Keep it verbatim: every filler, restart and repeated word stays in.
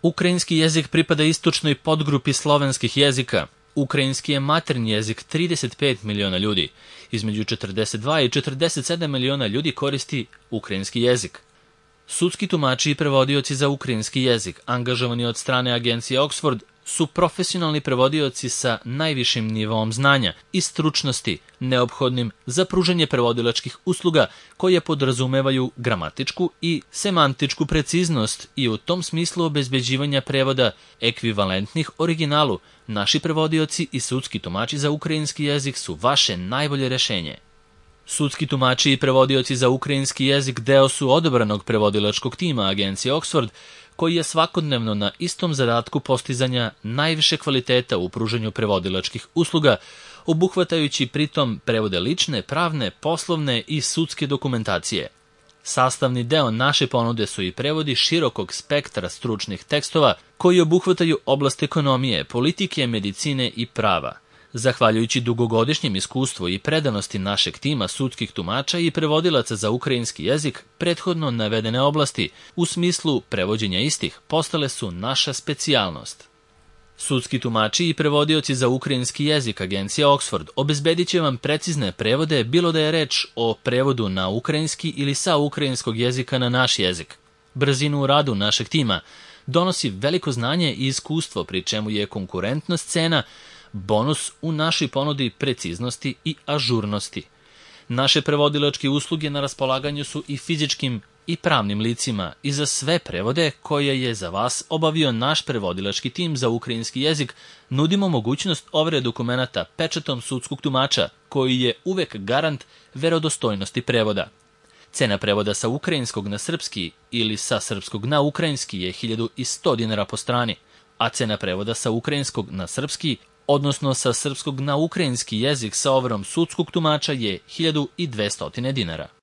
Ukrajinski jezik pripada istočnoj podgrupi slovenskih jezika. Ukrajinski je maternji jezik trideset pet miliona ljudi. Između četrdeset dva i četrdeset sedam miliona ljudi koristi ukrajinski jezik. Sudski tumači i prevodioci za ukrajinski jezik, angažovani od strane agencije Oxford, su profesionalni prevodioci sa najvišim nivoom znanja i stručnosti neophodnim za pružanje prevodilačkih usluga koje podrazumevaju gramatičku i semantičku preciznost i u tom smislu obezbeđivanja prevoda ekvivalentnih originalu. Naši prevodioci i sudski tumači za ukrajinski jezik su vaše najbolje rešenje. Sudski tumači i prevodioci za ukrajinski jezik deo su odabranog prevodilačkog tima agencije Oxford, koji je svakodnevno na istom zadatku postizanja najviše kvaliteta u pružanju prevodilačkih usluga, obuhvatajući pritom prevode lične, pravne, poslovne i sudske dokumentacije. Sastavni deo naše ponude su i prevodi širokog spektra stručnih tekstova koji obuhvataju oblast ekonomije, politike, medicine i prava. Zahvaljujući dugogodišnjem iskustvu i predanosti našeg tima sudskih tumača i prevodilaca za ukrajinski jezik, prethodno navedene oblasti, u smislu prevođenja istih, postale su naša specijalnost. Sudski tumači i prevodioci za ukrajinski jezik agencija Oxford obezbedit će vam precizne prevode, bilo da je reč o prevodu na ukrajinski ili sa ukrajinskog jezika na naš jezik. Brzinu u radu našeg tima donosi veliko znanje i iskustvo, pri čemu je konkurentnost cena bonus u našoj ponudi preciznosti i ažurnosti. Naše prevodilačke usluge na raspolaganju su i fizičkim i pravnim licima i za sve prevode koje je za vas obavio naš prevodilački tim za ukrajinski jezik nudimo mogućnost overe dokumenata pečatom sudskog tumača, koji je uvek garant verodostojnosti prevoda. Cena prevoda sa ukrajinskog na srpski ili sa srpskog na ukrajinski je hiljadu sto dinara po strani, a cena prevoda sa ukrajinskog na srpski, odnosno sa srpskog na ukrajinski jezik sa overom sudskog tumača, je hiljadu dvesta dinara.